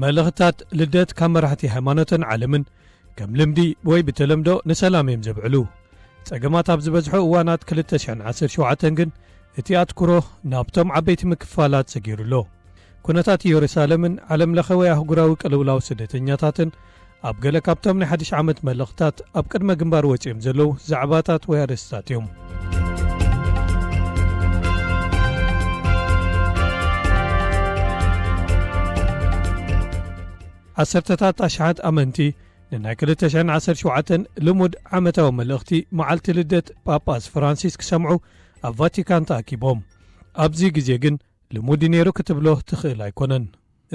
መልእኽታት ልደት ካብ መራሕቲ ሃይማኖትን ዓለምን ከም ልምዲ ወይ ብተለምዶ ንሰላም እዮም ዘብዕሉ። ጸገማት ኣብ ዝበዝሑ እዋናት ክልተ ሽሕን ዓሰርተ ሸውዓተን ግን እቲ ኣትኩሮ ናብቶም ዓበይቲ ምክፋላት ሰጊሩ ኣሎ። ኩነታት ኢየሩሳሌምን ዓለም ለኸ ወይ ኣህጉራዊ ቅልውላው ስደተኛታትን ኣብ ገለ ካብቶም ናይ ሓድሽ ዓመት መልእኽታት ኣብ ቅድመ ግንባር ወጺኦም ዘለዉ ዛዕባታት ወይ ኣርእስታት እዮም። ዓሰርተታት ኣሽሓት ኣመንቲ ንናይ ክልተ ሽሕን ዓሰርተ ሸውዓተን ልሙድ ዓመታዊ መልእኽቲ መዓልቲ ልደት ጳጳስ ፍራንሲስ ክሰምዑ ኣብ ቫቲካን ተኣኪቦም። ኣብዚ ግዜ ግን ልሙድ ነይሩ ክትብሎ ትኽእል ኣይኮነን።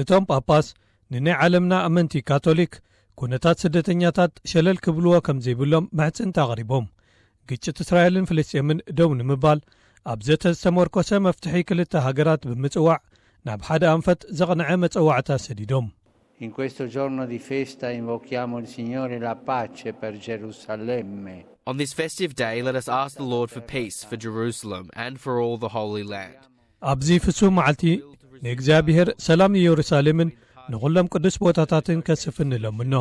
እቶም ጳጳስ ንናይ ዓለምና ኣመንቲ ካቶሊክ ኩነታት ስደተኛታት ሸለል ክብልዎ ከም ዘይብሎም ምሕጽንታ ኣቕሪቦም። ግጭት እስራኤልን ፍልስጤምን ደው ንምባል ኣብ ዘተ ዝተመርኮሰ መፍትሒ ክልተ ሃገራት ብምጽዋዕ ናብ ሓደ ኣንፈት ዘቕንዐ መጸዋዕታ ሰዲዶም። In questo giorno di festa invochiamo il Signore la pace per Gerusalemme. On this festive day, let us ask the Lord for peace for Jerusalem and for all the Holy Land. ኣብዚ ፍሱም መዓልቲ ንእግዚኣብሔር ሰላም ንኢየሩሳሌምን ንኹሎም ቅዱስ ቦታታትን ከስፍን ንለምኖ።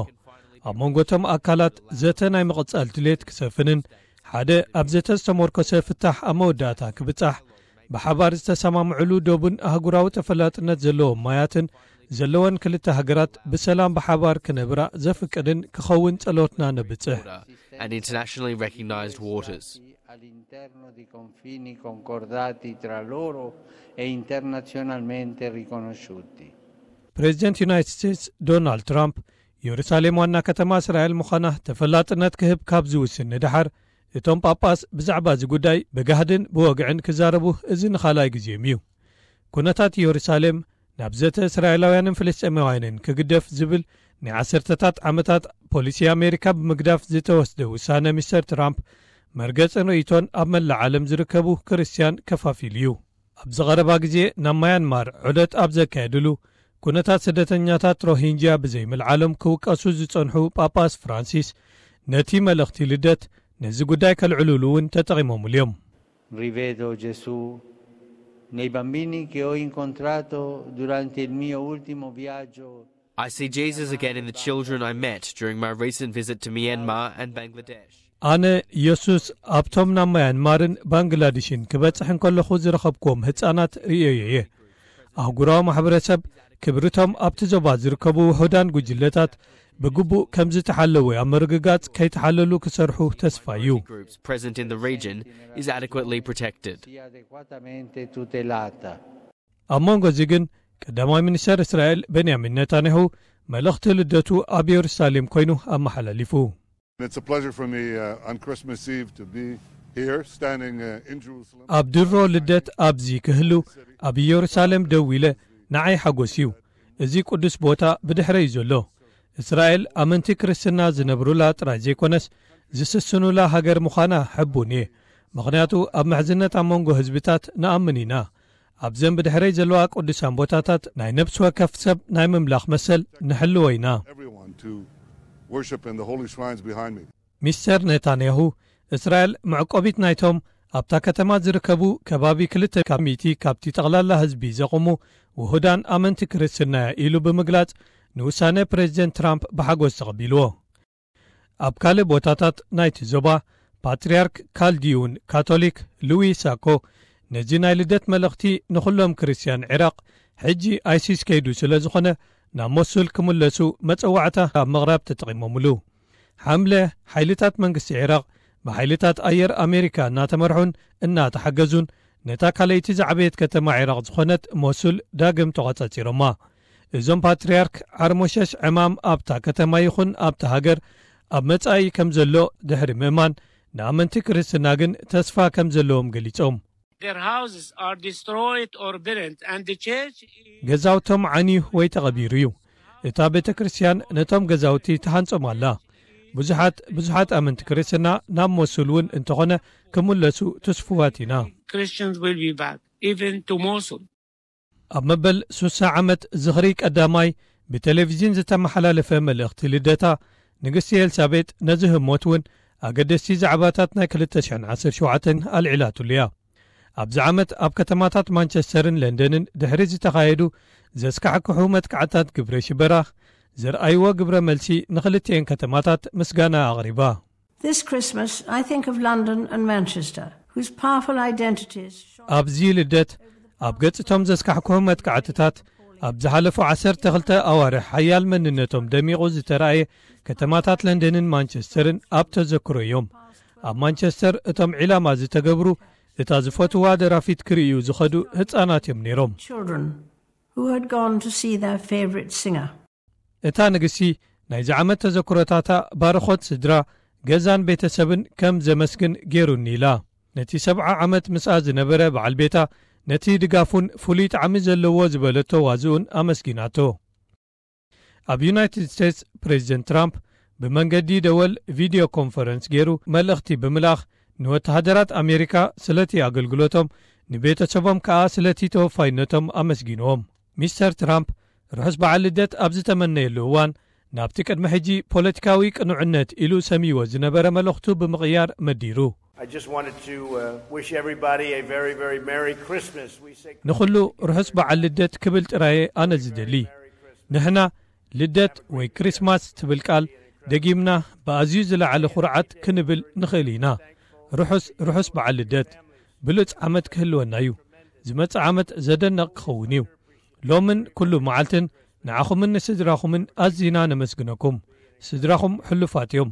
ኣብ መንጎ እቶም ኣካላት ዘተ ናይ ምቕጻል ድሌት ክሰፍንን ሓደ ኣብ ዘተ ዝተመርኮሰ ፍታሕ ኣብ መወዳእታ ክብጻሕ ብሓባር ዝተሰማምዕሉ ዶብን ኣህጉራዊ ተፈላጥነት ዘለዎም ማያትን ዘለወን ክልተ ሃገራት ብሰላም ብሓባር ክነብራ ዘፍቅድን ክኸውን ጸሎትና ነብጽሕ። And internationally recognized waters. All'interno di confini concordati tra loro e internazionalmente riconosciuti. ፕሬዚደንት ዩናይትድ ስቴትስ ዶናልድ ትራምፕ ኢየሩሳሌም ዋና ከተማ እስራኤል ምዃና ተፈላጥነት ክህብ ካብ ዝውስን ንደሓር፣ እቶም ጳጳስ ብዛዕባ እዚ ጉዳይ ብጋህድን ብወግዕን ክዛረቡ እዚ ንኻልኣይ ግዜም እዩ። ኩነታት ኢየሩሳሌም ናብ ዘተ እስራኤላውያንን ፍልስጤማውያንን ክግደፍ ዝብል ናይ ዓሰርተታት ዓመታት ፖሊሲ ኣሜሪካ ብምግዳፍ ዝተወስደ ውሳነ ሚስተር ትራምፕ መርገጽን ርእይቶን ኣብ መላእ ዓለም ዝርከቡ ክርስትያን ከፋፊሉ እዩ። ኣብዚ ቀረባ ግዜ ናብ ማያንማር ዑደት ኣብ ዘካየድሉ ኩነታት ስደተኛታት ሮሂንጅያ ብዘይምልዓሎም ክውቀሱ ዝጸንሑ ጳጳስ ፍራንሲስ ነቲ መልእኽቲ ልደት ነዚ ጉዳይ ከልዕሉሉ እውን ተጠቒሞምሉ እዮም። Rivedo Gesù nei bambini che ho incontrato durante il mio ultimo viaggio. I see Jesus again in the children I met during my recent visit to Myanmar and Bangladesh. ኣነ ኢየሱስ ኣብቶም ናብ ማያንማርን ባንግላዴሽን ክበጽሕ እንከለኹ ዝረኸብክዎም ህጻናት ርእየዮ እየ። ኣህጉራዊ ማሕበረሰብ ክብርቶም ኣብቲ ዞባ ዝርከቡ ውሑዳን ጉጅለታት ብግቡእ ከም ዝተሓለወ ኣብ ምርግጋጽ ከይተሓለሉ ክሰርሑ ተስፋ እዩ። Groups present in the region is adequately protected. Sia adeguatamente tutelata. ኣብ መንጎ እዚ ግን ቀዳማይ ሚኒስተር እስራኤል ቤንያሚን ነታንያሁ መልእኽቲ ልደቱ ኣብ ኢየሩሳሌም ኮይኑ ኣመሓላሊፉ። It's a pleasure for me uh, on Christmas Eve to be here, standing uh, in Jerusalem. ኣብ ድሮ ልደት ኣብዚ ክህሉ ኣብ ኢየሩሳሌም ደው ኢለ ንዓይ ሓጎስ እዩ። እዚ ቅዱስ ቦታ ብድሕረ እዩ ዘሎ። እስራኤል ኣመንቲ ክርስትና ዝነብሩላ ጥራይ ዘይኮነስ ዝስስኑላ ሃገር ምዃና ሕቡን እየ። ምኽንያቱ ኣብ ምሕዝነት ኣብ መንጎ ህዝብታት ንኣምን ኢና። ኣብዘን ብድሕረይ ዘለዋ ቅዱሳን ቦታታት ናይ ነፍሲ ወከፍ ሰብ ናይ ምምላኽ መሰል ንሕልዎ ኢና። Everyone to worship in the holy shrines behind me. ሚስተር ኔታንያሁ እስራኤል መዕቆቢት ናይቶም ኣብታ ከተማ ዝርከቡ ከባቢ ክልተ ካብ ሚእቲ ካብቲ ጠቕላላ ህዝቢ ዘቑሙ ውሁዳን ኣመንቲ ክርስትና እያ ኢሉ ብምግላጽ ንውሳነ ፕሬዚደንት ትራምፕ ብሓጎስ ተቐቢልዎ። ኣብ ካልእ ቦታታት ናይቲ ዞባ ፓትርያርክ ካልዲዩን ካቶሊክ ሉዊ ሳኮ ነዚ ናይ ልደት መልእኽቲ ንኹሎም ክርስትያን ዒራቕ ሕጂ ኣይሲስ ከይዱ ስለ ዝኾነ ናብ ሞሱል ክምለሱ መጸዋዕታ ኣብ ምቕራብ ተጠቒሞምሉ። ሓምለ ሓይልታት መንግስቲ ዒራቕ ብሓይልታት ኣየር ኣሜሪካ እናተመርሑን እናተሓገዙን ነታ ካልኣይቲ ዝዓበየት ከተማ ዒራቕ ዝኾነት ሞሱል ዳግም ተቖጻጺሮማ። እዞም ፓትርያርክ ዓርሞሸሽ ዕማም ኣብታ ከተማ ይኹን ኣብታ ሃገር ኣብ መጻኢ ከም ዘሎ ድሕሪ ምእማን ንኣመንቲ ክርስትና ግን ተስፋ ከም ዘለዎም ገሊጾም። Their houses are destroyed or burned, and the church is ገዛውቶም ዓንዩ ወይ ተቐቢሩ እዩ። እታ ቤተ ክርስቲያን ነቶም ገዛውቲ ተሃንጾም ኣላ። ብዙሓት ብዙሓት ኣመንቲ ክርስትና ናብ ሞሱል እውን እንተኾነ ክምለሱ ትስፉዋት ኢና። Christians will be back, even to Mosul. ኣብ መበል ሱሳ ዓመት ዝኽሪ ቀዳማይ ብቴሌቪዝን ዝተመሓላለፈ መልእኽቲ ልደታ ንግስቲ ኤልሳቤጥ ነዚ ህሞት እውን ኣገደስቲ ዛዕባታት ናይ ክልተ ሽሕን ዓሰርተ ሸውዓተን ኣልዒላትሉ እያ። ኣብዚ ዓመት ኣብ ከተማታት ማንቸስተርን ለንደንን ድሕሪ ዝተኻየዱ ዘስካሕክሑ መጥቃዕታት ግብረ ሽበራ ዘርኣይዎ ግብረ መልሲ ንኽልቲኤን ከተማታት ምስጋና ኣቕሪባ። This Christmas, I think of London and Manchester, whose powerful identities shone ኣብዚ ልደት ኣብ ገጽቶም ዘስካሕክሑ መጥቃዕትታት ኣብ ዝሓለፉ ዓሰርተ ክልተ ኣዋርሕ ሓያል መንነቶም ደሚቑ ዝተራእየ ከተማታት ለንደንን ማንቸስተርን ኣብ ተዘክሮ እዮም። ኣብ ማንቸስተር እቶም ዒላማ ዝተገብሩ እታ ዝፈትዋ ደራፊት ክርእዩ ዝኸዱ ህጻናት እዮም ነይሮም። Children who had gone to see their favourite singer. እታ ንግስቲ ናይዚ ዓመት ተዘክሮታታ ባርኾት ስድራ፣ ገዛን ቤተሰብን ከም ዘመስግን ገይሩኒ ኢላ። ነቲ ሰብዓ ዓመት ምስኣ ዝነበረ በዓል ቤታ ነቲ ድጋፉን ፍሉይ ጣዕሚ ዘለዎ ዝበለቶ ዋዝኡን ኣመስጊናቶ። ኣብ ዩናይትድ ስቴትስ ፕሬዚደንት ትራምፕ ብመንገዲ ደወል ቪድዮ ኮንፈረንስ ገይሩ መልእኽቲ ብምልኣኽ ንወተሃደራት ኣሜሪካ ስለቲ ኣገልግሎቶም ንቤተሰቦም ከኣ ስለቲ ተወፋይነቶም ኣመስጊንዎም። ሚስተር ትራምፕ ርሑስ በዓል ልደት ኣብ ዝተመነየሉ እዋን ናብቲ ቅድሚ ሕጂ ፖለቲካዊ ቅኑዕነት ኢሉ ሰምይዎ ዝነበረ መልእኽቱ ብምቕያር መዲሩ። I just wanted to uh, wish everybody a very, very Merry Christmas. We say ንኹሉ ርሑስ በዓል ልደት ክብል ጥራየ ኣነ ዝደሊ። ንሕና ልደት ወይ ክሪስማስ ትብል ቃል ደጊምና ብኣዝዩ ዝለዓለ ኩርዓት ክንብል ንኽእል ኢና። ርሑስ ርሑስ በዓል ልደት ብሉጽ ዓመት ክህልወና እዩ። ዝመጽእ ዓመት ዘደንቕ ክኸውን እዩ። ሎምን ኩሉ መዓልትን ንዓኹምን ንስድራኹምን ኣዚና ነመስግነኩም። ስድራኹም ሕሉፋት እዮም።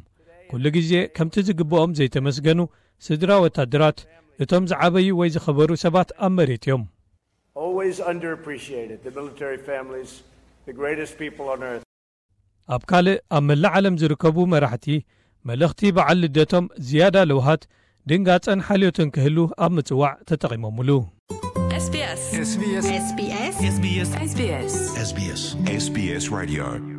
ኩሉ ግዜ ከምቲ ዝግብኦም ዘይተመስገኑ ስድራ ወታደራት፣ እቶም ዝዓበዩ ወይ ዝኸበሩ ሰባት ኣብ መሬት እዮም። Always underappreciated, the military families, the greatest people on earth. ኣብ ካልእ ኣብ መላእ ዓለም ዝርከቡ መራሕቲ መልእኽቲ በዓል ልደቶም ዝያዳ ለውሃት ድንጋጸን ሓልዮትን ክህሉ ኣብ ምጽዋዕ ተጠቒሞምሉ። SBS SBS SBS SBS SBS SBS SBS Radio.